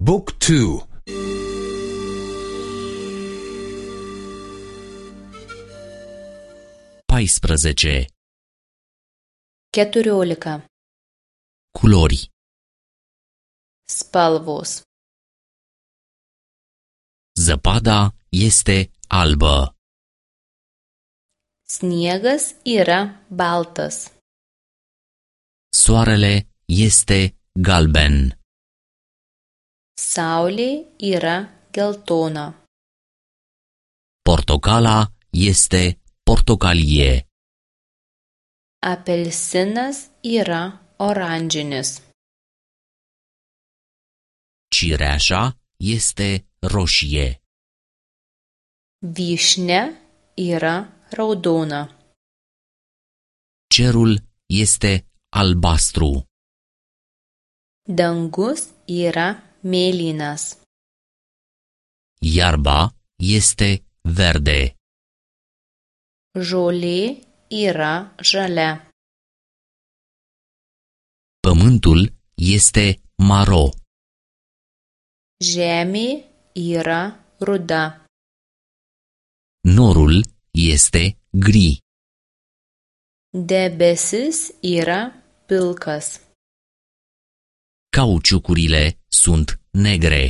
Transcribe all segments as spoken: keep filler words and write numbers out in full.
Book two. paisprezece. Keturiolika. Culori. Spalvos. Zăpada este albă. Sniegas yra baltas. Soarele este galben. Saulė yra geltona. Portocala este portocalie. Apelsinas yra oranžinis. Cireașa este roșie. Vyšnia yra raudona. Cerul este albastru. Dangus yra mėlynas. Iarba este verde. Žolė yra žalia. Pământul este maro. Žemė yra ruda. Norul este gri. Debesis yra pilkas. Cauciucurile sunt negre.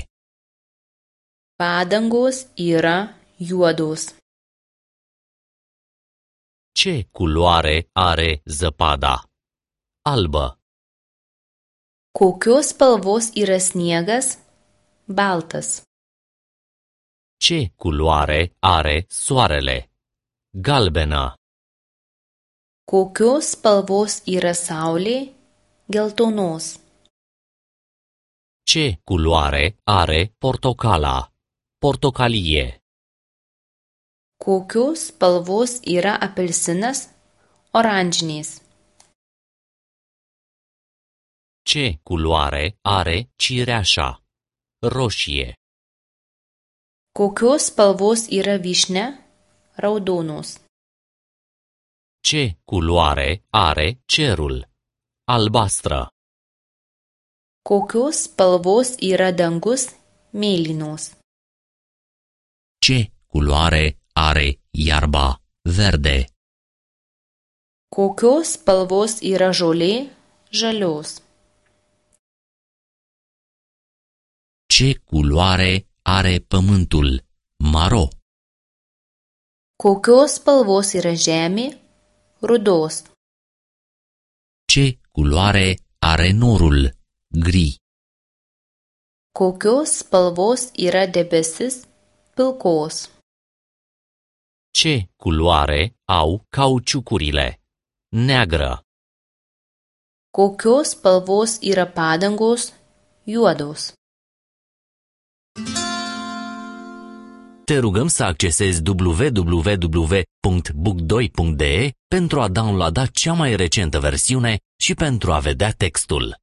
Padangos yra juodos. Ce culoare are zăpada? Albă. Kokios spalvos yra sniegas? Baltas. Ce culoare are soarele? Galbenă. Kokios spalvos yra saulė? Geltonos. Ce culoare are portocala? Portocalie. Kokios spalvos yra apelsinas? Oranžinis. Ce culoare are cireașa? Roșie. Kokios spalvos yra vyšnia? Raudonos. Ce culoare are cerul? Albastră. Kokios spalvos yra dangus? Mėlynos. Ce culoare are iarba? Verde. Kokios spalvos yra žolė? Žalios. Ce culoare are pământul? Maro. Kokios spalvos yra žemė? Rudos. Ce culoare are norul? Gri. Kokios spalvos yra debesis? Pilkos. Ce culoare au cauciucurile? Neagră. Kokios spalvos yra padangos? Juodos. Te rugăm să accesezi w w w punct book doi punct d e pentru a downloada cea mai recentă versiune și pentru a vedea textul.